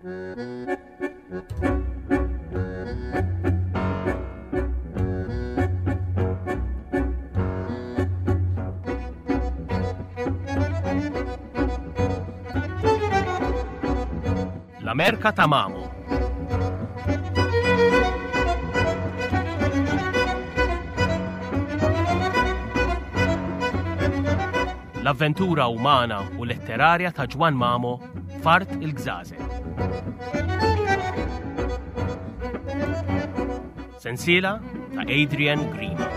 L-Amerka ta' Mamo. L-avventura umana u letterarja ta' Ġwann Mamo f'Art il-Gżażel. Sensiela ta' Adrian Grima.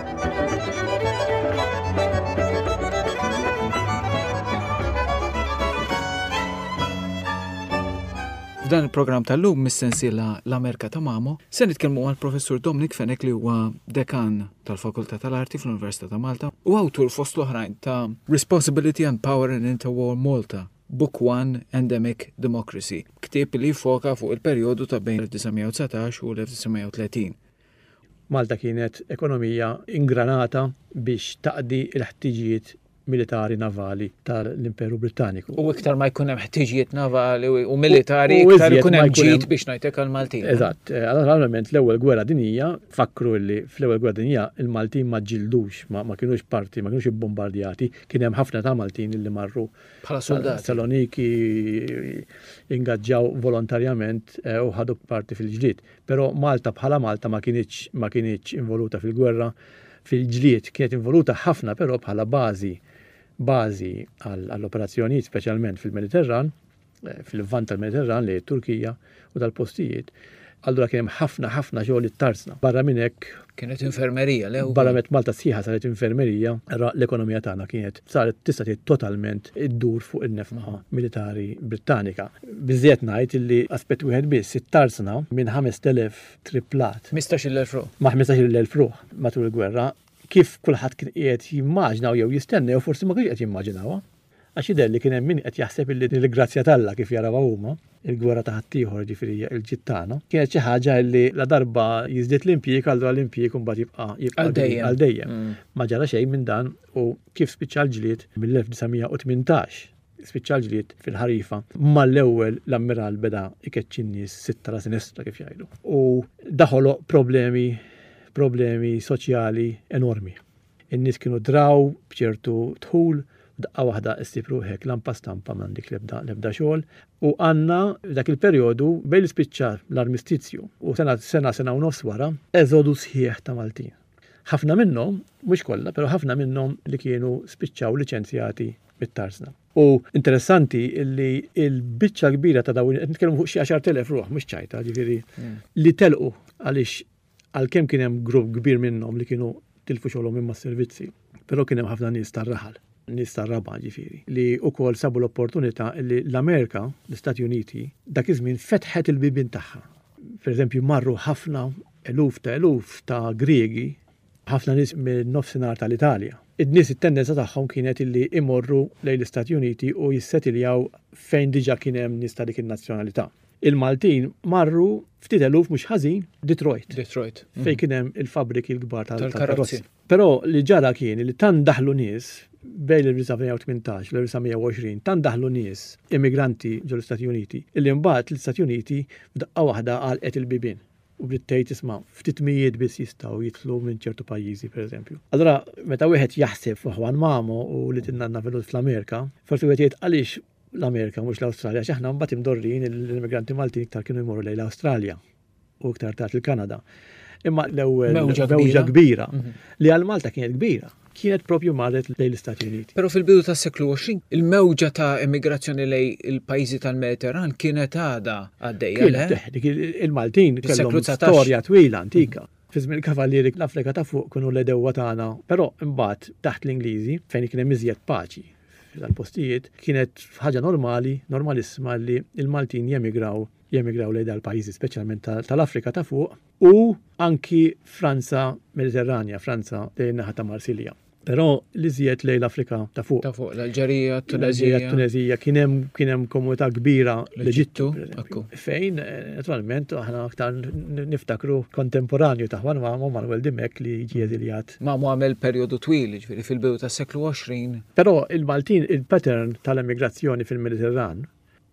F'dan il-programm tal-lum mis-sensiela L-Amerka ta' Mamo se nitkellmu mal-Professur Dominic Fenech li huwa dekan tal-Fakultà tal-Arti fl-Università ta' Malta u awtur fost l-oħrajn ta' Responsibility and Power in Interwar Malta, Book One Endemic Democracy, ktieb li jiffoka fuq il-perjodu ta' bejn l-1919 u l-1930. Malta kienet ekonomija ingranata biex taqdi l-ħtiġijiet militari navali tal-Imperu Brittaniku. U iktar ma jkun hemm ħtiġijiet navali u militari, iktar ikun hemm ġid biex ngħidlek għall-Maltin. Eżatt, eh, naturalment l-ewwel gwerra dinjija, fakru li fl-ewwel gwerra dinjija il-Maltin ma ġildux, ma kinux parti, ma kinux ibbombardjati, kien hemm ħafna ta' Maltin li marru bħala soldati. Saloniki ingaġġaw volontarjament eh, u ħadu parti fil-ġlied. Però Malta bħala Malta ma kinitx ma kinitx involuta fil-gwerra fil-ġlied, kienet involuta ħafna però bħala bażi bażi għall-operazzjonijiet speċjalment fil-Mediterran, eh, fil-Lvant tal-Mediterran li Turkija u dal-postijiet. Allura kien hemm ħafna ħafna xogħol it-tarzna. Barra minn hekk Kienet infermerija, le? Barra minn Malta sħiħa saret infermerija, ra l-ekonomija tagħna kienet saret tista' tgħid totalment iddur fuq in-nefqa militari Brittanika. Biżżejjed ngħid illi aspett wieħed biss, it-tarzna minn 5,000 triplat. 15,000 ruħ. Ma' 15,000 ruħ matul il-gwerra, kif kulħadd kien qiegħed jimmaġna jew jistenna jew forsi ma kienx qed jimmaġinawha. Għax jidher li kien hemm min qed jaħseb illi din il-grazzja t'Alla kif jarawha huma, il-gwerra ta' ħaddieħor jiġifieri hija l-ġid tagħna, kienet xi ħaġa illi ladarba jiżdied l-impjieg allura l-impjieg imbagħad jibqa' jibqa' għal dejjem. Ma ġara xejn minn dan u kif spiċċa l-ġlied mill-1918 spiċċa l-ġlied fil-ħarifa, mal-ewwel l-ammiral beda jkeċċi n-nies sitta la sinistra kif jgħidu. U da ħoloq problemi problemi soċjali enormi. In-nies kienu draw b'ċertu dħul, f'daqqa waħda issib ruħek lampa stampa m'għandek l-ebda l-ebda xogħol. U għandna f'dak il-perjodu bejn li spiċċa l-armistizju u sena sena sena u nofs wara, eżodu sħiħ ta' Maltin. Ħafna minnhom, mhux kollha, però ħafna minnhom li kienu spiċċaw liċenzjati mit-tarzna. U interessanti li l-biċċa l-kbira ta' dawn, qed nitkellmu fuq xi 10,000 ruħ, mhux ċajta, ġifieri, li telqu għaliex Għalkemm kien hemm grupp kbir minnhom li kienu tilfu xogħolhom minn mas-servizzi, però kien hemm ħafna nies tar-raħal, nies tar-raba' ġifieri, li wkoll sabu l-opportunità li l-Amerika, l-Istati Uniti, dak iż-żmien fetħet il-bibien tagħha. Pereżempju marru ħafna eluf ta' eluf ta' Griegi, ħafna nies min-Nofsinhar tal-Italja. In-nies it-tendenza tagħhom kienet illi imorru lejn l-Istati Uniti u jissetiljaw fejn diġà kien hemm nies ta' dik in-nazzjonalità. Il-Maltin marru ftit eluf mhux ħażin Detroit. Detroit. Fejn kien hemm il-fabbriki l-kbar tal-karozzi. Però li ġara kien li tant daħlu nies bejn l-1918 u l-1920 tant daħlu nies immigranti ġol-Istati Uniti illi mbagħad l-Istati Uniti f'daqqa waħda għalqet il-bibien u bdiet tgħid isma' ftit mijiet biss jistgħu jidħlu minn ċertu pajjiżi pereżempju. Allura meta wieħed jaħseb fuq Juan Mamo u li tinnanna Venut fl-Amerika, forsi wieħed jgħid għaliex l-Amerika mhux l-Awstralja għax aħna mbagħad imdorrijin l-immigranti Maltin iktar kienu jmorru lejn l-Awstralja u iktar tard il-Kanada. Imma l-ewwel mewġa kbira mhm. li għal Malta kienet kbira kienet propju marret lejn l-Istati Uniti. Però fil-bidu tas-seklu 20, il-mewġa ta' immigrazzjoni lejn il-pajjiżi tal-Mediterran kienet għadha għaddejja. Kienet, il-Maltin kellhom storja twila antika. Mhm. Fi żmien il-Kavallieri l-Afrika ta' fuq kienu l-għedewwa tagħna, però imbagħad taħt l-Ingliżi fejn kien hemm iżjed paċi f'dal-postijiet, kienet ħaġa normali, normalissima li l-Maltin jemigraw jemigraw lejn dal-pajjiżi speċjalment tal-Afrika ta' fuq u anki Franza Mediterranja, Franza lejn naħa ta' Marsilja. Però l-iżjed lejn l-Afrika ta' fuq. Ta' fuq, l-Alġerija, t-Tuneżija. T-Tuneżija, kien hemm kien hemm komunità kbira l-Eġittu, fejn eh, naturalment aħna aktar niftakru kontemporanju ta' Juan Mamo Manuel Dimech li ġie eżiljat. Mamo għamel perjodu twil, ġifieri fil-bidu tas-seklu 20. Però il-Maltin il-pattern tal-emigrazzjoni fil-Mediterran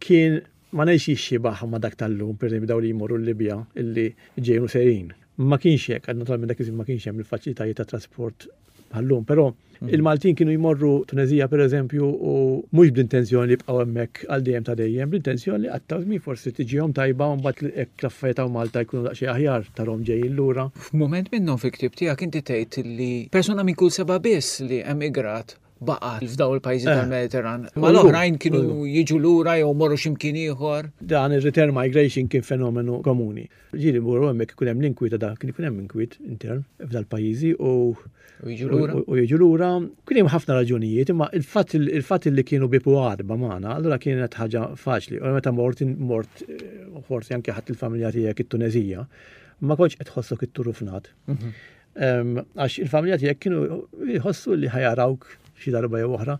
kien Ma ngħidx jixxibaħ ma' dak tal-lum, pereżempju dawn li jmorru l-Libja illi ġejjin u sejrin. Ma kienx hekk, naturalment dak iż-żmien ma kienx hemm il-faċilitajiet ta' trasport bħal-lum, però mm. il-Maltin kienu jmorru Tunezija pereżempju u mhux bl-intenzjoni li jibqgħu hemmhekk għal dejjem ta' dejjem, bl-intenzjoni li qattaw żmien forsi tiġihom tajba u mbagħad hekk l-affarijiet hawn Malta jkunu daqsxejn aħjar tarhom ġejjin lura. F'mument minnhom fil-ktieb tiegħek inti tgħid li persuna minn kull seba' biss li emigrat baqgħet f'daw il-pajjiżi eh. tal-Mediterran. Ma l-oħrajn kienu jiġu lura jew morru x'imkien ieħor. Dan ir-return migration kien fenomenu komuni. Ġieli morru hemmhekk ikun hemm l-inkwiet ta' kien ikun hemm inkwiet intern f'dal-pajjiżi u u jiġu lura. Kien hemm ħafna raġunijiet, imma il-fatt li kienu bipu għadba magħna, allura kienet ħaġa faċli. U meta mort mort eh, forsi anke ħadd il-familja tiegħek it-Tunezija, ma kontx qed tħossok it-turufnat. Mhm. Għax il-familja tiegħek kienu jħossu li ħajarawk xi darba jew oħra.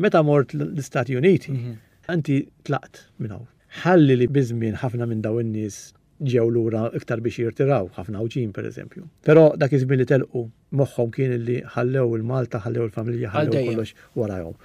Meta mort l-Istati Uniti, mhm. inti tlaqt minn hawn. Ħalli li biż-żmien ħafna minn dawn in-nies ġew lura iktar biex jirtiraw, ħafna Għawdxin pereżempju. Però dak iż-żmien li telqu moħħhom kien li ħallew il-Malta, ħallew il-familja, ħallew kollox warajhom.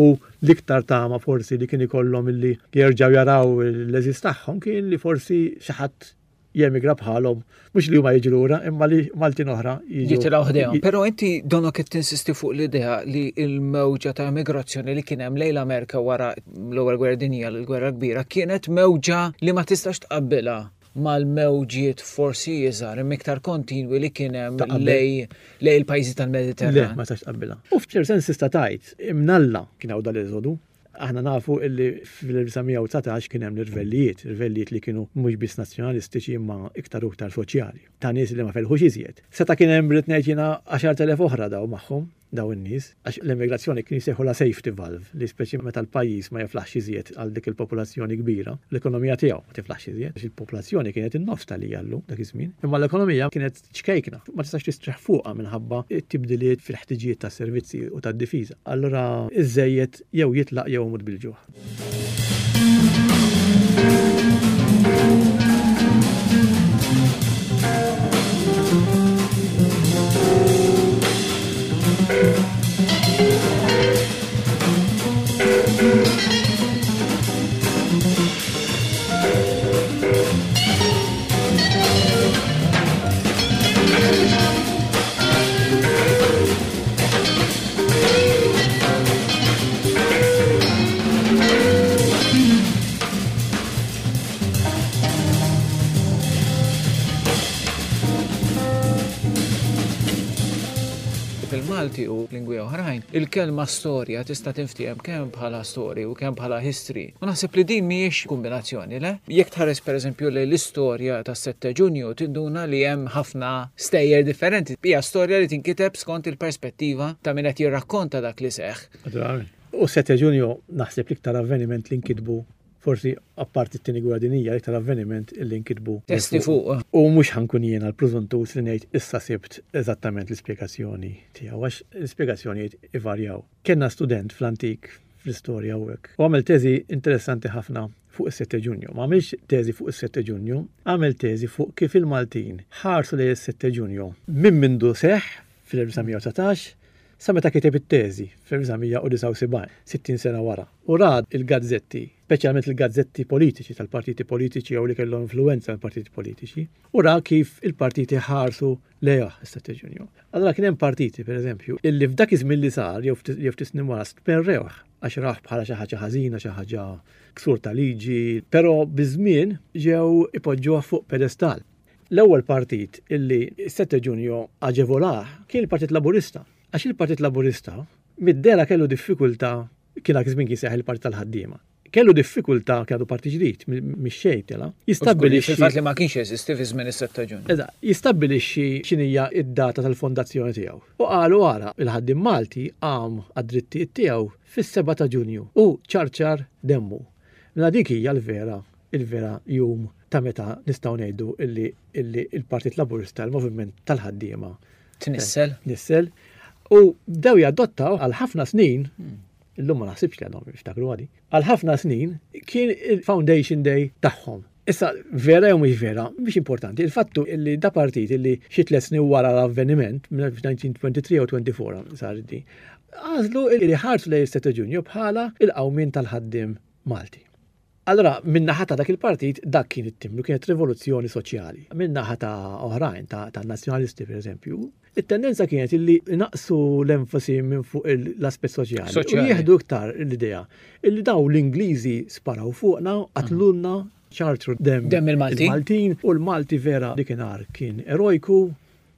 U l-iktar tama forsi li kien ikollhom illi jerġgħu jaraw l-għeżież tagħhom kien li forsi xi ħadd jemigra bħalhom, mhux li huma jiġu lura, imma li Maltin oħra jiġu. Jitilgħu ħdejhom. Però inti donok qed tinsisti fuq l-idea li l-mewġa ta' emigrazzjoni li kien hemm lejn l-Amerika wara l-ewwel gwerra dinjija l-gwerra kbira kienet mewġa li ma tistax tqabbilha mal-mewġiet forsi iżgħar imma iktar kontinwi li kien hemm lej lej il-pajjiżi tal-Mediterran. Le, ma tistax tqabbilha. U f'ċert sens tista' tgħid imnalla kien hawn dal-eżodu Aħna nafu illi fl-1919 kien hemm l-irvellijiet, irvellijiet li kienu mhux biss nazzjonalistiċi imma iktar u iktar soċjali, ta' nies li ma felħux iżjed. Seta' kien hemm rrid ngħid jiena 10,000 oħra daw magħhom, daw in-nies, għax l-emigrazzjoni kien jsejħulha safety valve, li speċi meta l-pajjiż ma jiflaħx iżjed għal dik il-popolazzjoni kbira, l-ekonomija tiegħu ma tiflaħx iżjed, għax il-popolazzjoni kienet in-nofs ta' li hija llum dak iż-żmien, imma l-ekonomija kienet ċkejkna, ma tistax tistrieħ fuqha minħabba t-tibdiliet fil-ħtiġijiet tas-servizzi u tad-difiża. Allura iż-żejjed jew jitlaq jew imut bil-ġuħ. Fil-Malti u lingwi oħrajn, il-kelma storja tista' tinftiehem kemm bħala story u kemm bħala history. U naħseb li din mhijiex kombinazzjoni, le? Jekk tħares pereżempju lejn l-istorja tas-7 Ġunju tinduna li hemm ħafna stejjer differenti. Hija storja li tinkiteb skont il-perspettiva ta' min qed jirrakkonta dak li seħħ. Naturalment. U 7 Ġunju naħseb l-iktar avveniment li nkitbu forsi apparti t-tieni gwerra dinjija l-iktar avveniment li nkitbu testi fuq. U mhux ħankun jiena l-prużuntus li ngħid issa sibt eżattament l-ispjegazzjoni tiegħu għax l-ispjegazzjonijiet ivarjaw. Kellna student fl-antik fl-istorja u hekk. U għamel teżi interessanti ħafna fuq is-7 Ġunju. Ma għamilx teżi fuq is-7 Ġunju, għamel teżi fuq kif il-Maltin ħarsu lejn is-7 Ġunju minn mindu seħħ fl-1919 sa meta kiteb it-teżi fl-1979, 60 sena wara. U ra l-gazzetti, speċjalment il-gazzetti politiċi tal-partiti politiċi jew li kellhom influwenza mill-partiti politiċi, u ra kif il-partiti ħarsu lejh is-7 Ġunju. Allura kien hemm partiti, pereżempju, illi f'dak iż-żmien li sar jew ftit snin wara stmerrewh għax rawh bħala xi ħaġa ħażina, xi ħaġa ksur ta' liġi, però biż-żmien ġew ipoġġuh fuq pedestal. L-ewwel partit illi s-7 Ġunju aġevolah kien il-Partit Laburista. Għax il-Partit Laburista mid-dehra kellu diffikultà, kien dak iż-żmien kien jsejjaħ il-Partit tal-Ħaddiema. Kellu diffikultà, kien għadu parti ġdid, mix-xejn tela', jistabbilixxi. Fil-fatt li ma kienx jeżisti fi żmien is-7 ta' Ġunju. Eżatt, jistabbilixxi x'inhija d-data tal-fondazzjoni tiegħu. U qalu ara, il-ħaddiem Malti qam għad-drittijiet tiegħu fis-7 ta' Ġunju u ċarċar demmu. Mela dik hija l-vera, il-vera jum ta' meta nistgħu ngħidu illi illi l-Partit Laburista, il-moviment tal-ħaddiema. Tnissel. Tnissel. U bdew jadottaw għal ħafna snin, illum ma naħsibx li għadhom jiftakru għadi, għal ħafna snin kien il-Foundation Day tagħhom. Issa, vera jew mhux vera, mhix importanti. Il-fattu li da partit li xi tliet snin wara l-avveniment, 1923 jew 24 sar di, għażlu li ħarsu lejn is-7 Ġunju bħala il-qawmien tal-ħaddiem Malti. Allura, min-naħa ta' dak il-partit, dak kien it-timbru, kienet rivoluzzjoni soċjali. Min-naħa ta' oħrajn, ta' nazzjonalisti per eżempju, it-tendenza kienet illi naqsu l-enfasi minn fuq l-aspett soċjali. U jieħdu iktar l-idea illi daw l-Ingliżi sparaw fuqna, qatlulna, ċartru dem, dem il-Maltin. Il-Maltin u l-Malti vera dikinhar kien erojku.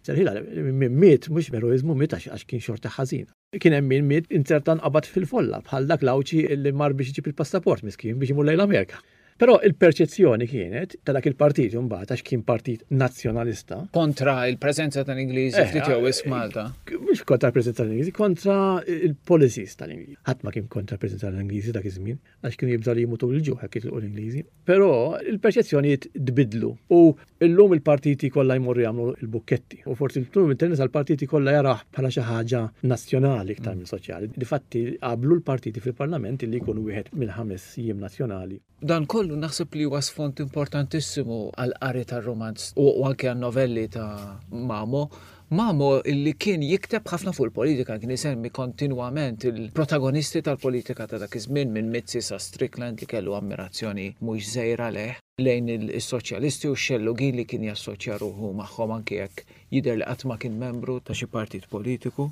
Serħila, min miet mhux b'eroiżmu miet għax kien xorta ħażin. Kien hemm min miet inzerta nqabad fil-folla bħal dak l-Għawdxi li mar biex iġib il-passaport miskin biex imur lejn l-Amerika. Però il-perċezzjoni kienet ta' dak il-partit imbagħad għax kien partit nazzjonalista. Kontra il-preżenza tal-Ingliżi eh, ftit jew wisq Malta. Mhux kontra l-preżenza tal-Ingliżi, kontra il-policies tal-Ingliżi. Ħadd ma kien kontra l-preżenza tal-Ingliżi dak iż-żmien. għax kienu jibżgħu li jmutu bil-ġuħ jekk jitilqu l-Ingliżi. Però il-perċezzjonijiet tbiddlu u llum il-partiti kollha jmorru jagħmlu l-bukketti u forsi llum it-tendenza l-partiti kollha jarah bħala xi ħaġa nazzjonali iktar minn soċjali. Difatti qablu l-partiti fil-Parlament li jkunu wieħed mill-ħames jiem nazzjonali. Dan kollu naħseb li huwa sfond importantissimu għall-qari tar-rumanz u anke għan-novelli ta' Mamo Mamo li kien jikteb ħafna fuq il-politika, kien isemmi kontinwament il-protagonisti tal-politika ta' dak iż-żmien minn Mizzi sa Strickland li kellu ammirazzjoni mhux żgħira lejh, lejn is-soċjalisti u x-xellugin li kien jassoċja ruħu magħhom anki jekk jidher li qatt ma kien membru ta' xi partit politiku.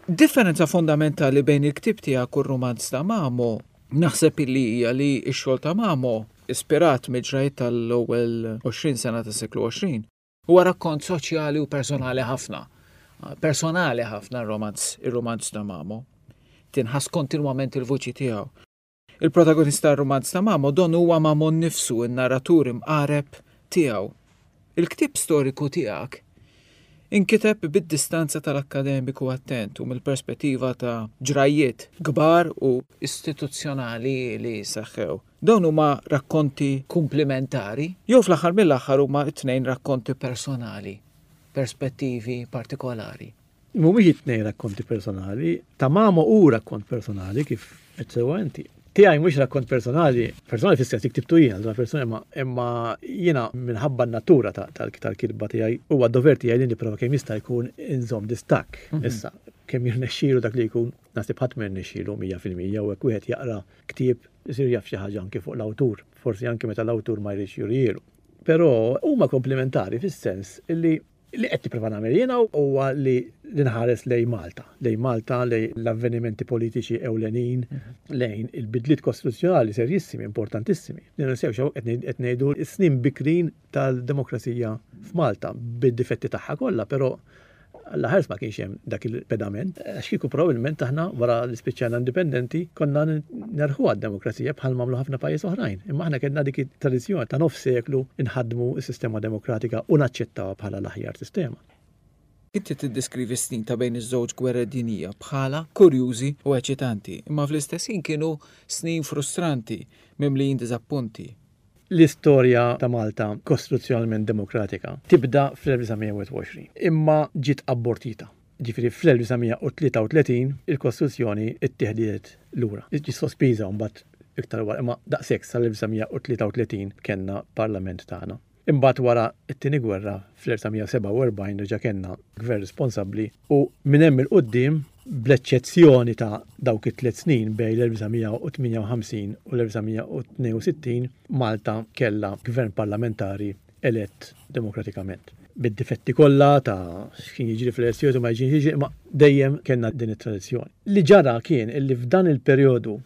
Differenza fondamentali bejn il-ktieb tiegħek u r-rumanz ta' Mamo naħseb illi hija li x-xogħol ta' Mamo, ispirat mill-ġrajjiet tal-ewwel 20 sena tas-seklu 20, Huwa rakkont soċjali u personali ħafna. Personali ħafna r-romanz, ir-romanz ta' Mamo. Tinħass kontinwament il-vuċi tiegħu. Il-protagonista tar-romanz ta' Mamo donnu huwa Mamo nnifsu, in-narratur imqareb tiegħu. Il-ktieb storiku tiegħek inkiteb bid-distanza tal-akkademiku attent u mill-perspettiva ta' ġrajjiet kbar u istituzzjonali li seħħew. Dawn huma rakkonti kumplimentari jew fl-aħħar mill-aħħar huma t-tnejn rakkonti personali, perspettivi partikolari? Mhumiex it-tnejn rakkonti personali. Ta' Mamo hu rakkont personali kif għedt sewwa inti. Tiegħi mhux rakkont personali, personali fis-sens li ktibtu jien, allura personali imma imma jiena minħabba n-natura tal-kitba tiegħi huwa d-dover tiegħi li nipprova kemm jista' jkun inżomm distakk. Issa, kemm jirnexxielu dak li jkun, naħseb ħadd ma jirnexxielu 100% u hekk wieħed jaqra ktieb isir jaf xi ħaġa anki fuq l-awtur, forsi anki meta l-awtur ma jridx jurihielu. Però huma komplementari fis-sens li li qed nipprova nagħmel jiena huwa li nħares lejn Malta, lejn Malta, lejn l-avvenimenti politiċi ewlenin, lejn il-bidliet kostituzzjonali serjissimi, importantissimi. Li ninsewx hawn qed ngħidu s-snin bikrin tal-demokrazija f'Malta bid-difetti tagħha kollha, però Alla ħares ma kienx hemm dak il-pedament, għax kieku probabbilment aħna wara li spiċċajna indipendenti konna nerħuha d-demokrazija bħal m'għamlu ħafna pajjiż oħrajn. Imma aħna kellna dik it-tradizzjoni ta' nofs seklu nħaddmu s-sistema demokratika u naċċettawha bħala l-aħjar sistema. Inti tiddeskrivi s-snin ta' bejn iż-żewġ gwerer dinjija bħala kurjużi u eċitanti, imma fl-istess ħin kienu snin frustranti, mimlijin diżappunti. L-istorja ta' Malta kostituzzjonalment demokratika tibda fl-1921, imma ġiet abortita. Ġifieri fl-1933 il-Kostituzzjoni ttieħdiet lura. Ġiet sospiża mbagħad iktar wara, imma daqshekk sal-1933 kellna Parlament tagħna. Imbagħad wara t-Tieni Gwerra fl-1947 reġa' kellna gvern responsabbli u minn hemm 'il quddiem bl-eċċezzjoni ta' dawk it-tliet snin bejn l-1958 u l-1962, Malta kellha gvern parlamentari elett demokratikament. Bid-difetti kollha ta' x'kien jiġri fl-elezzjonijiet u ma jiġri jiġri, imma dejjem kellna din it-tradizzjoni. Li ġara kien illi f'dan il-perjodu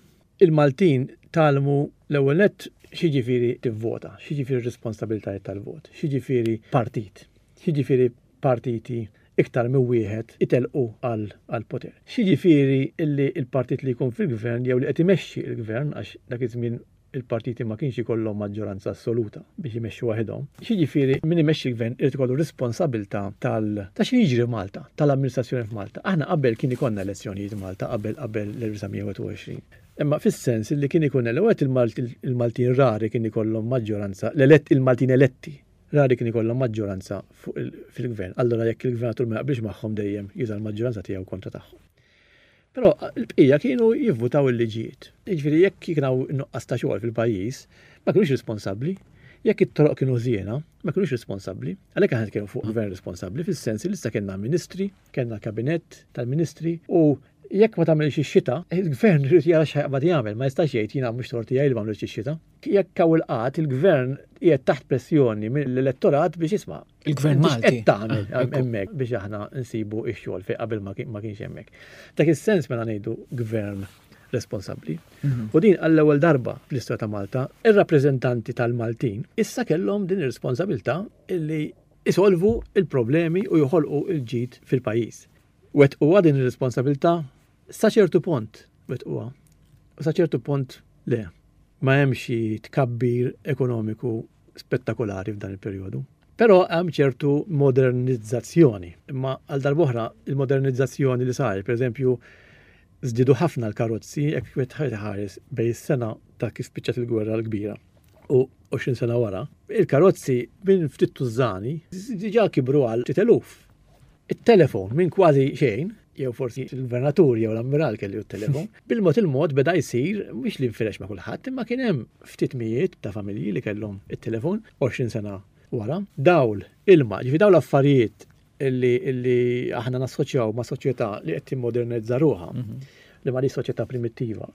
il-Maltin tgħallmu l-ewwel nett x'jiġifieri tivvota, x'jiġifieri r-responsabilitajiet tal-vot, x'jiġifieri partit, x'jiġifieri partiti iktar minn wieħed itellqu għall-poter. X'jiġifieri li l-partit li jkun fil-gvern jew li qed imexxi l-gvern, għax dak iż-żmien il-partiti ma kienx ikollhom maġġoranza assoluta biex imexxu waħedhom, x'jiġifieri min imexxi l-gvern irid ikollu responsabilità tal ta' x'inhu jiġri f'Malta, tal-amministrazzjoni f'Malta. Aħna qabel kien ikollna elezzjonijiet Malta qabel qabel l-1921. Imma fis-sens li kien ikun l-ewwel il-Maltin rari kien ikollhom maġġoranza, l-elett il-Maltin eletti Rari kien ikollhom maġġoranza fuq fil-gvern. Allura jekk il-gvernatur ma jaqbilx magħhom dejjem juża l-maġġoranza tiegħu kontra tagħhom. Però l-bqija kienu jivvutaw il-liġijiet. Jiġifieri jekk kien hawn nuqqas ta' xogħol fil-pajjiż, ma kinux responsabbli. Jekk it-toroq kienu ħżiena, ma kinux responsabbli. Għalhekk aħna nitkellmu fuq gvern responsabbli fis-sens li issa kellna ministri, kellna kabinett tal-ministri u jekk ma tagħmilx ix-xita, il-gvern irid jara x'ħajqbad jagħmel, ma jistax jgħid jiena mhux tort tiegħi li ma għamlitx ix-xita. Jekk hawn il-qgħad, il-gvern qiegħed taħt pressjoni mill-elettorat biex isma' Il-gvern Malti. Qed tagħmel ah, hemmhekk biex aħna nsibu x-xogħol fejn qabel ma kienx hemmhekk. Dak is-sens mela ngħidu gvern responsabbli. Mhm. U din għall-ewwel darba fl-istorja ta' Malta, ir-rappreżentanti tal-Maltin issa kellhom din ir-responsabilità illi isolvu il-problemi u joħolqu il-ġid fil-pajjiż. Wettquha din ir-responsabilità sa ċertu pont wettquha. U sa ċertu pont le. Ma hemm xi tkabbir ekonomiku spettakolari f'dan il-perjodu. Però hemm ċertu modernizzazzjoni. Imma għal darb'oħra il-modernizzazzjoni li saret, pereżempju, żdiedu ħafna l-karozzi jekk wieħed ħares bejn is-sena ta' kif spiċċat il-gwerra l-kbira u 20 sena wara, il-karozzi minn ftit tużżani diġà kibru għal ftit eluf. It-telefon minn kważi xejn, jew forsi il-gvernatur jew l-ammiral kellu t-telefon, bil-mod il-mod beda jsir mhux li nfirex ma' kulħadd, imma kien hemm ftit mijiet ta' familji li kellhom it-telefon 20 sena wara. Dawl, ilma, ġifi dawl affarijiet illi, illi aħna nassoċjaw ma' soċjetà li qed timmodernizza ruħha, mhm. li ma li soċjetà primittiva.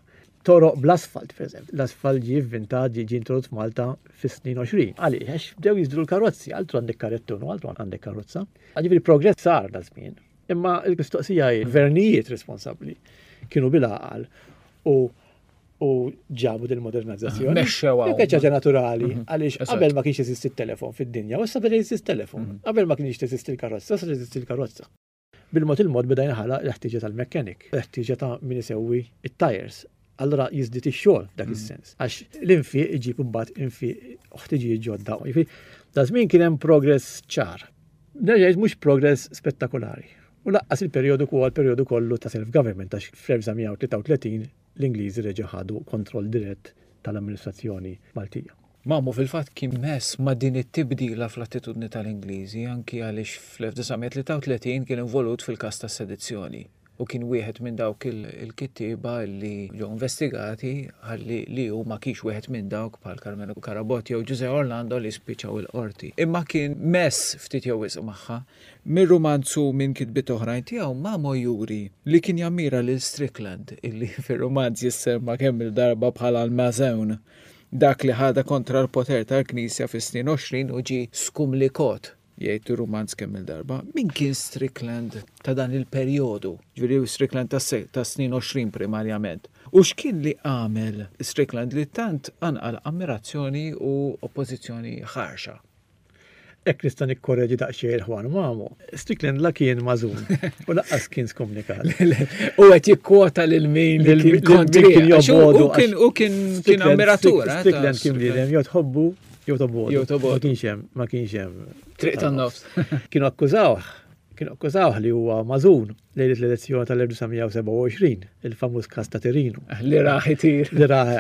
Toroq bl-asfalt, per eżempju. L-asfalt ġie vvintat, ġie introdott f'Malta fis-snin 20. Għaliex? Għax bdew jiżdru l-karozzi, altru għandek karettun u altru għandek karozza. Ġifieri progress sar da żmien. Imma l-mistoqsija hi gvernijiet responsabbli kienu bil-għaqal u u ġabu din modernizzazzjoni. Mexxew hawn. ħaġa naturali, mhm. għaliex qabel ma kienx jeżisti t-telefon fid-dinja, u issa beda jeżisti t-telefon. Mhm. Qabel ma kienx teżisti l-karozza, issa teżisti l-karozza. Bil-mod il-mod beda jinħalaq l-ħtieġa tal-mechanic, l-ħtieġa ta' min isewwi it-tires. Allura jiżdied ix-xogħol f'dak mm. is-sens. Għax l-infiq iġib imbagħad infiq u ħtiġijiet ġodda. Jiġifieri, da żmien kien hemm progress ċar. Nerġa' mhux progress spettakolari. U laqqas il-perjodu huwa l-perjodu kollu ta' self-government għax fl-1933 l-Ingliżi reġgħu ħadu kontroll dirett tal-amministrazzjoni Maltija. Mamo fil-fatt kien mess ma' din it-tibdila fl-attitudni tal-Ingliżi anki għaliex fl-1933 kien involut fil-każ tas-sedizzjoni u kien wieħed minn dawk il-kittieba li ġew investigati ħalli li hu ma kienx wieħed minn dawk bħal Karmenu Carabott jew Ġużè Orlando li spiċċaw il-qorti. Imma kien mess ftit jew wisq magħha. Mir-rumanz u minn kitbiet oħrajn tiegħu Mamo juri li kien jammira lil Strickland illi fir-rumanz jissemma kemm-il darba bħala l-Mażewn Dak li ħadha kontra l-poter tal-Knisja fis-snin 20 u ġie skumlikot, jgħid ir-rumanz kemm-il darba. Min kien Strickland ta' dan il-perjodu, ġifieri Strickland tas-snin 20 primarjament? U x'kien li għamel Strickland li tant qanqal ammirazzjoni u oppożizzjoni ħarxa? Hekk nista' nikkoreġi daqsxejn il-Juan Mamo. Strickland la kien mażun u laqqas kien skomnikat. U qed jikkwota lil min li kien kontri. Kien jobgħodu. U kien kien ammiratur. Eh, Strickland kien bniedem jew tħobbu jew tobgħodu. Jew tobgħodu. Ma kienx hemm, ma kienx hemm. Triq tan-nofs. Kienu akkużawh, kienu akkużawh li huwa mażun lejlet l-elezzjoni tal-1927, il-famuż każ ta' Tirinu. Li raħ itir. Li raħ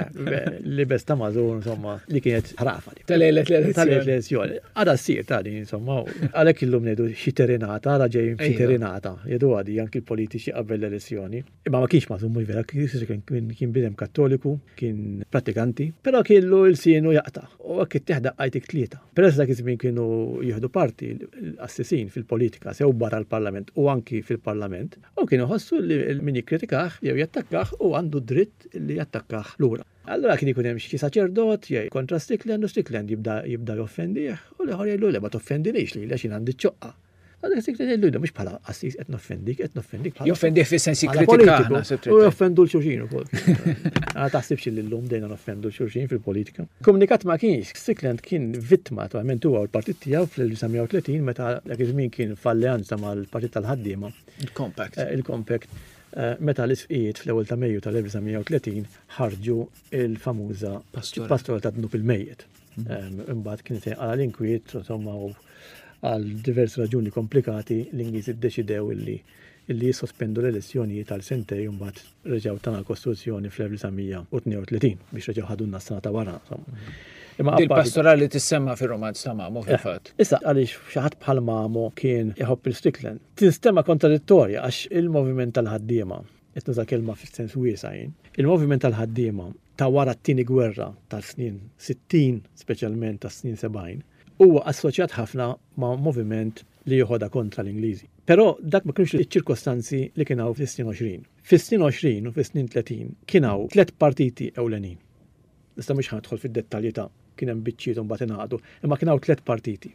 libes ta' mażun, insomma, li kienet ħrafa. Ta' lejlet l-elezzjoni. Ta' lejlet l-elezzjoni. Għada ssir ta' din, insomma, għalhekk illum ngħidu xi terinata, għada ġej xi terinata, jgħidu għadi anki l-politiċi qabel l-elezzjoni. Imma ma kienx mażun mhux vera, kien bidem kattoliku, kien pratikanti, però kellu l-sienu jaqta' u hekk ittieħ daqqa jtik tlieta. Peress dak iż-żmien kienu jieħdu parti l-qassisin fil-politika sew barra l-Parlament u anki fil-Parlament, u kienu jħossu li min jikkritikah jew jattakkah hu għandu d-dritt li jattakkah lura. Allura kien ikun hemm xi saċerdot jgħid kontra Strickland u Strickland jibda jibda joffendih u l-ieħor jgħidlu le ma toffendinix lili għax jien għandi ċ-ċoqqa. Għalhekk dik li ngħidlu mhux bħala qassis qed noffendik, qed noffendik bħala. Joffendih fis-sens jikkritika. U joffendu l-xulxin ukoll. Għana taħsibx li llum dejna noffendu l-xulxin fil-politika. Komunikat ma kienx, Strickland kien vittma naturalment huwa u l-partit tiegħu fl-1930 meta dak iż-żmien kien f'alleanza mal-Partit tal-Ħaddiema. Il-Compact. Eh, Il-Compact. Eh, meta l-isqijiet fl-ewwel ta' Mejju tal-1930 ħarġu il-famuża pastoral ta' dnub il-mejjet. Mhm. Imbagħad kien se għal l-inkwiet, insomma, u għal diversi raġuni komplikati l-Ingliżi ddeċidew illi illi jissospendu l-elezzjonijiet għal sentej u mbagħad reġgħu tana l-Kostituzzjoni fl-1932 biex reġgħu ħadulna s-sena ta' wara. Mhm. Imma Il-pastorali tissemma fir-romanz ta' Mamo eh, fil-fatt. Issa għaliex xi ħadd bħal Mamo kien iħobb il-Strickland. Tinstema kontradittorja għax il-moviment tal-ħaddiema, qed nuża kelma fis-sens wiesa' jien, il-moviment tal-ħaddiema. ta' wara t-Tieni Gwerra tas-snin 60, speċjalment tas-snin 70, huwa assoċjat ħafna ma' moviment li joħodha kontra l-Ingliżi. Però dak ma kinux iċ-ċirkostanzi li kien hawn fis-snin 20. Fis-snin 20 u fis-snin 30 kien hawn tlett partiti ewlenin. Issa mhux ħa nidħol fid-dettalji ta' kien hemm biċċiet u mbagħad ingħaqdu, imma kien hawn tlett partiti.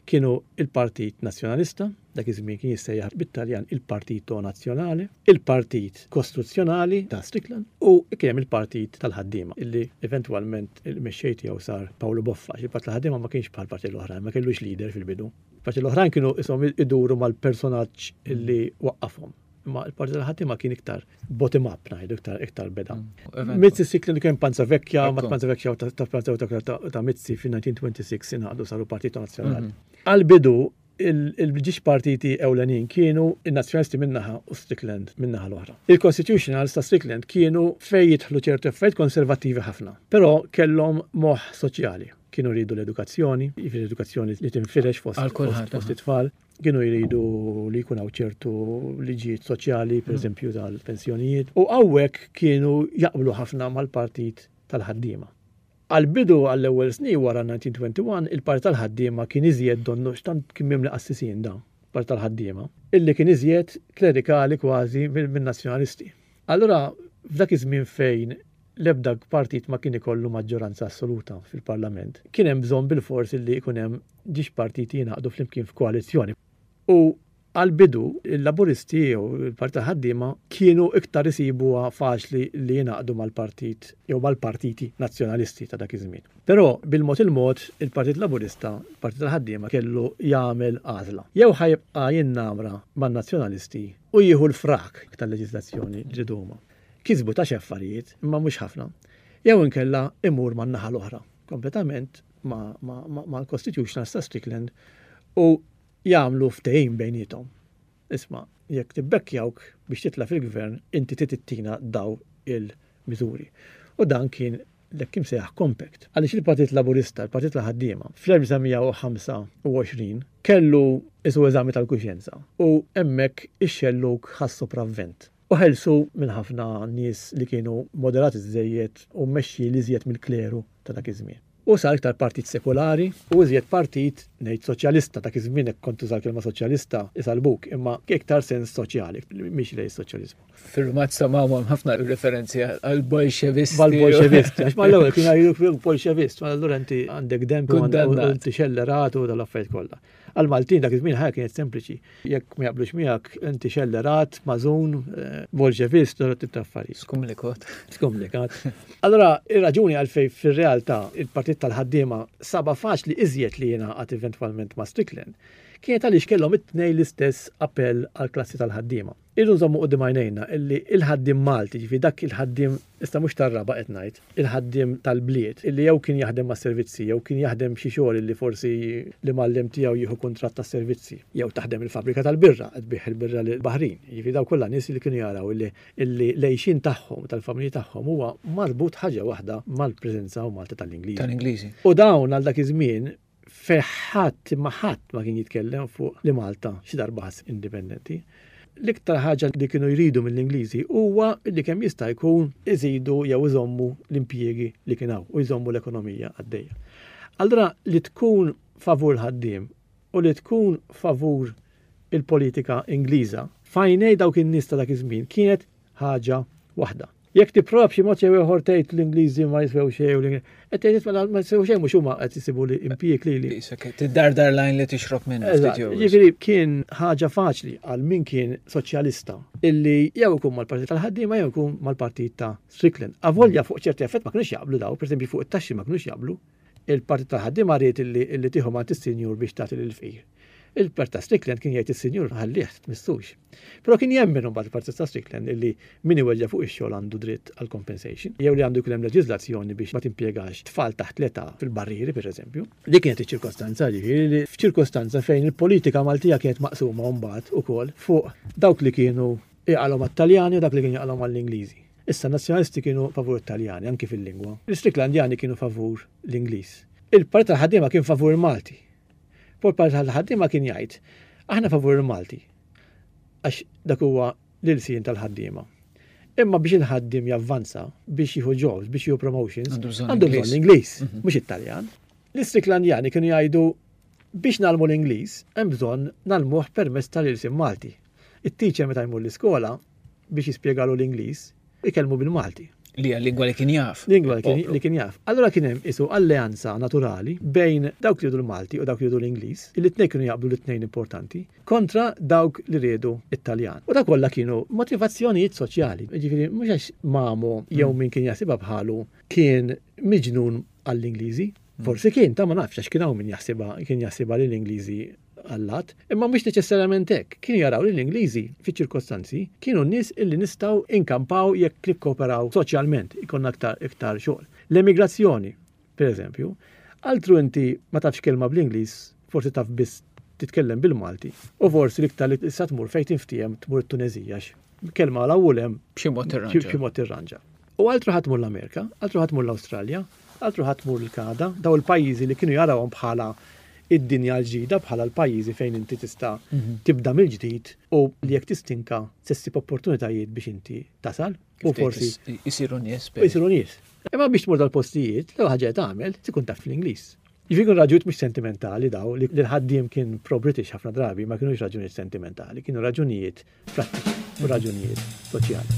Kienu il-Partit Nazzjonalista, dak iż-żmien kien jissejjaħ bit-Taljan il-Partito Nazionale, il-Partit Kostruzzjonali ta' Strickland u kien hemm il-Partit tal-Ħaddiema illi eventwalment il-mexxej tiegħu sar Paolo Boffa, għax il-Partit tal-Ħaddiema ma kienx bħall-parti l-oħrajn, ma kellux leader fil-bidu. Il-parti l-oħrajn kienu ishom iduru mal-personaġġ illi waqqafhom. Imma il-parti tal-ħaddiema kien iktar bottom up ngħidu iktar iktar beda. Mm, Mizzi Strickland kien Panza Vecchia, ma Panza Vecchia u ta' Panza ta' ta' Mizzi fin-1926 ingħaqdu saru Partito Nazzjonali. Mhm. Għal-bidu il-ġiex partiti ewlenin kienu il-Nazzjonalisti minnaħa u Strickland minnaħa l-oħra. Il-Constitutionals ta' Strickland kienu fej jidħlu ċertu affarijiet konservattivi ħafna, però kellhom moħħ soċjali. Kienu jridu l-edukazzjoni, jiġifieri l-edukazzjoni li tinfirex fost fost it-tfal. Kienu jridu li jkun hawn ċertu liġijiet soċjali, per mm. eżempju tal-pensjonijiet. U hawnhekk kienu jaqblu ħafna mal-partit tal-ħaddiema. Għal-bidu għall-ewwel snin wara 1921, il-partit tal-ħaddiema kien iżjed donnu x'tant kien mimli qassisin da, partit tal-ħaddiema, illi kien iżjed klerikali kważi min-nazzjonalisti. Allura f'dak iż-żmien fejn l-ebda partit ma kien ikollu maġġoranza assoluta fil-Parlament, kien hemm bżonn bilfors illi jkun hemm ġiex partiti jingħaqdu flimkien f'koalizzjoni. U għall-bidu, il-Laburisti jew il-Partit tal-Ħaddiema kienu iktar isibuha faċli li jingħaqdu mal-partit jew mal-partiti nazzjonalisti ta' dak iż-żmien. Però bil-mod il-mod il-Partit Laburista, il-Partit tal-Ħaddiema kellu jagħmel għażla. Jew ħa jibqa' jinnamra man-Nazzjonalisti u jieħu l-frak tal-leġiżlazzjoni li riedu huma. Kisbu ta' xi affarijiet, imma mhux ħafna. Jew inkella imur man-naħa l-oħra, kompletament mal-Constitutionals ta' Strickland u jagħmlu ftehim bejniethom. Isma', jekk tibbekkjawk biex titla' fil-gvern, inti trid ittina daw il-miżuri. U dan kien l-hekk imsejjaħ compact. Għaliex il-Partit Laburista, il-Partit tal-Ħaddiema, fl-1925 kellu isu eżami tal-kuxjenza u hemmhekk ix-xellug ħa s-sopravvent. U ħelsu minn ħafna nies li kienu moderati żżejjed u mmexxi l-iżjed mill-kleru ta' dak iż-żmien. U sar iktar partit sekulari u iżjed partit, ngħid soċjalista, dak iż-żmien hekk kont tuża l-kelma soċjalista isalbuk, imma iktar sens soċjali, miexi lejn is-soċjaliżmu. Fir-rumanz ta' Mao hemm ħafna referenzi għall-Bolxevisti. Mal-Bolxevisti, għax mal-ewwel kienu jgħidulek Bolxevist, ma allura inti għandek demb u inti xellerat u dal-affarijiet kollha. Għall-Maltin dak iż-żmien ħajja kienet sempliċi. Jekk ma jaqblux miegħek inti xellerat, mażun, eh, bolxevist, u tip ta' affarijiet. Skumlikat. Skumlikat. Allora, ir-raġuni għalfej fir-realtà il-partit tal-ħaddiema saba faċli iżjed li jingħaqad eventwalment ma' Strickland kienet għaliex kellhom it-tnej l-istess appell għall-klassi tal-ħaddiema. Irridu nżommu quddiem għajnejna illi il-ħaddiem Malti, ġifieri dak il-ħaddiem, issa mhux tar-raba' qed ngħid, il-ħaddiem tal-bliet, illi jew kien jaħdem mas-servizzi jew kien jaħdem xi xogħol illi forsi l-imgħallem tiegħu jieħu kuntratt tas-servizzi, jew taħdem il-fabbrika tal-birra, qed tbigħ il-birra lill-baħrin. Jiġifieri dawk kollha nies li kienu jaraw illi illi l-għixien tagħhom u tal-familji tagħhom huwa marbut ħaġa waħda mal-preżenza u Malta tal-Ingliżi. Tal-Ingliżi. U dawn għal dak iż-żmien fejn ħadd imma ħadd ma kien jitkellem fuq li Malta xi darba ħass indipendenti. L-iktar ħaġa li kienu jridu mill-Ingliżi huwa li kemm jista' jkun iżidu jew iżommu l-impjiegi li kien hawn u jżommu l-ekonomija għaddejja. Allura li tkun favur l-ħaddiem u li tkun favur il-politika Ingliża f'għajnej dawk in-nies ta' dak iż-żmien kienet ħaġa waħda. Jekk tipprova b'xi mod jew ieħor tgħid l-Ingliżi ma jiswew xejn u l qed tgħid mela ma jiswew xejn mhux huma qed isibu li impjieg lili. Tiddardar lajn li tixrob minn. Jiġifieri kien ħaġa faċli għal min kien soċjalista illi jew ikun mal-Partit tal-Ħaddiema jew ikun mal-Partit ta' Strickland. Avolja fuq ċerti affett ma kinux jaqblu daw, pereżempju fuq it-taxxi ma kinux jaqblu. Il-Partit tal-Ħaddiema ried illi tieħu mant is-sinjur biex tagħti lill-fqir. Il-Partit ta' Strickland kien jgħid is-sinjur ħallih tmissux. Però kien jemmen imbagħad il-Partit ta' Strickland illi min iweġġa' fuq ix-xogħol għandu dritt għal compensation, jew li għandu jkun hemm leġiżlazzjoni biex ma timpjegax tfal taħt l-età fil-barrieri pereżempju. Dik kienet iċ-ċirkostanza, jiġifieri li f'ċirkostanza fejn il-politika Maltija kienet maqsuma mbagħad ukoll fuq dawk li kienu jaqalgħu mat-Taljani u dak li kienu jaqalgħu mal-Ingliżi. Issa n-Nazzjonalisti kienu favur it-Taljani anki fil-lingwa. L-Istricklandjani kienu favur l-Ingliż. Il-Partit tal-Ħaddiema kien favur il-Malti. Però l-Partit tal-Ħaddiema kien jgħid, aħna favur il-Malti għax dak huwa l-ilsien tal-ħaddiema. Imma biex il-ħaddiem javvanza, biex jieħu jobs, biex jieħu promotions, għandu bżonn l-Ingliż, mhm. mhux it-Taljan. L-Istriklandjani kienu jgħidu biex nagħlmu l-Ingliż hemm bżonn nagħlmuh permezz tal-ilsien Malti. It-teacher meta jmur l-iskola biex jispjegalu l-Ingliż, ikellmu bil-Malti. Li hija lingwa li kien jaf. Lingwa li kien jaf. Allura kien hemm isu alleanza naturali bejn dawk li jridu l-Malti u dawk li jridu l-Ingliż, li t-tnejn kienu jaqblu li t-tnejn importanti, kontra dawk li riedu it-Taljan. U dak kollha kienu motivazzjonijiet soċjali. Jiġifieri mhux għax Mamo jew min kien jaħsibha bħalu kien miġnun għall-Ingliżi. Forsi kien, ta' ma nafx għax kien hawn min jaħsibha kien jaħsibha li l-Ingliżi allat, imma mhux neċessarjament hekk. Kienu jaraw li l-Ingliżi fiċ-ċirkostanzi kienu nies illi nistgħu inkampaw jekk nikkooperaw soċjalment, ikollna aktar iktar xogħol. L-emigrazzjoni, per eżempju, altru inti ma tafx kelma bl-Ingliż, forsi taf biss titkellem bil-Malti, u forsi l-iktar li tista' tmur fejn tinftiehem tmur it-Tuneżija għax kelma 'l hawn u 'l hemm B'xi mod tirranġa. B'xi mod tirranġa. U altru ħa tmur l-Amerika, altru ħa tmur l-Awstralja, altru ħa tmur l-Kanada, daw il-pajjiżi li kienu jarawhom bħala id-dinja l-ġdida, bħala l-pajjiżi fejn inti tista' mhm. tibda mill-ġdid u li jekk tistinka se ssib opportunitajiet biex inti tasal. U forsi jisiru nies. Jisiru nies. Imma biex tmur dal-postijiet, l-ewwel ħaġa li tagħmel tkun taf l-Ingliż. Jiġifieri kienu raġunijiet mhux sentimentali daw li l-ħaddiem kien pro-British ħafna drabi ma kinux raġunijiet sentimentali, kienu raġunijiet prattiċi u raġunijiet soċjali.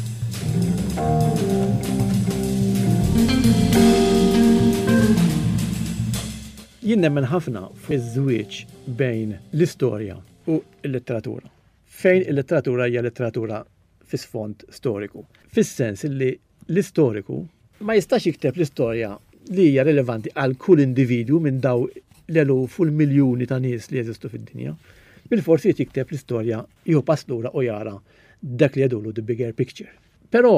Jien nemmen ħafna fiż-żwieġ bejn l-istorja u l-letteratura. Fejn il-letteratura hija letteratura fi sfond storiku. Fis-sens li L-istoriku ma jistax jikteb l-istorja li hija rilevanti għal kull individwu minn daw l-eluf u l-miljuni ta' nies li jeżistu fid-dinja. Bilfors irid jikteb l-istorja, jieħu pass lura u jara dak li jgħidulu the bigger picture. Però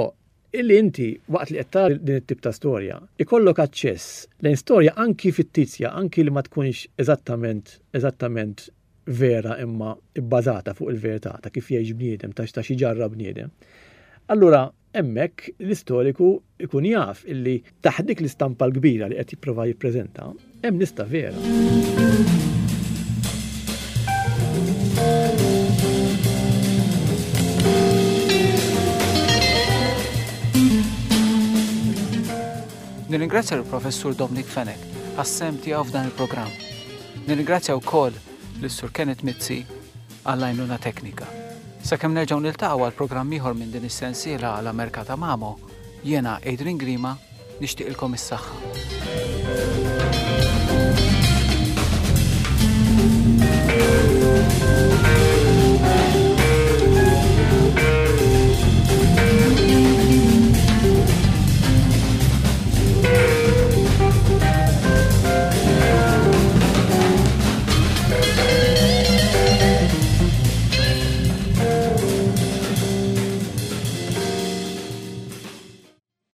illi inti waqt li qed tara din it-tip ta' storja, ikollok aċċess lejn storja anki fittizja, anki li ma tkunx eżattament eżattament vera imma bbażata fuq il-verità ta' kif jgħix bniedem, ta' xi ġarrab bniedem. Allura hemmhekk l-istoriku jkun jaf illi taħt dik l-istampa l-kbira li qed jipprova jippreżenta hemm lista vera. Nirringrazzja l-Professur Dominic Fenech għas-sehem tiegħu f'dan il-programm. Nirringrazzja wkoll lis-Sur Kenneth Mizzi għall-għajnuna teknika. Sakemm nerġgħu niltaqgħu għal programm ieħor minn din is-sensiela għal Amerka ta' Mamo, jiena Adrian Grima nixtieqilkom is-saħħa.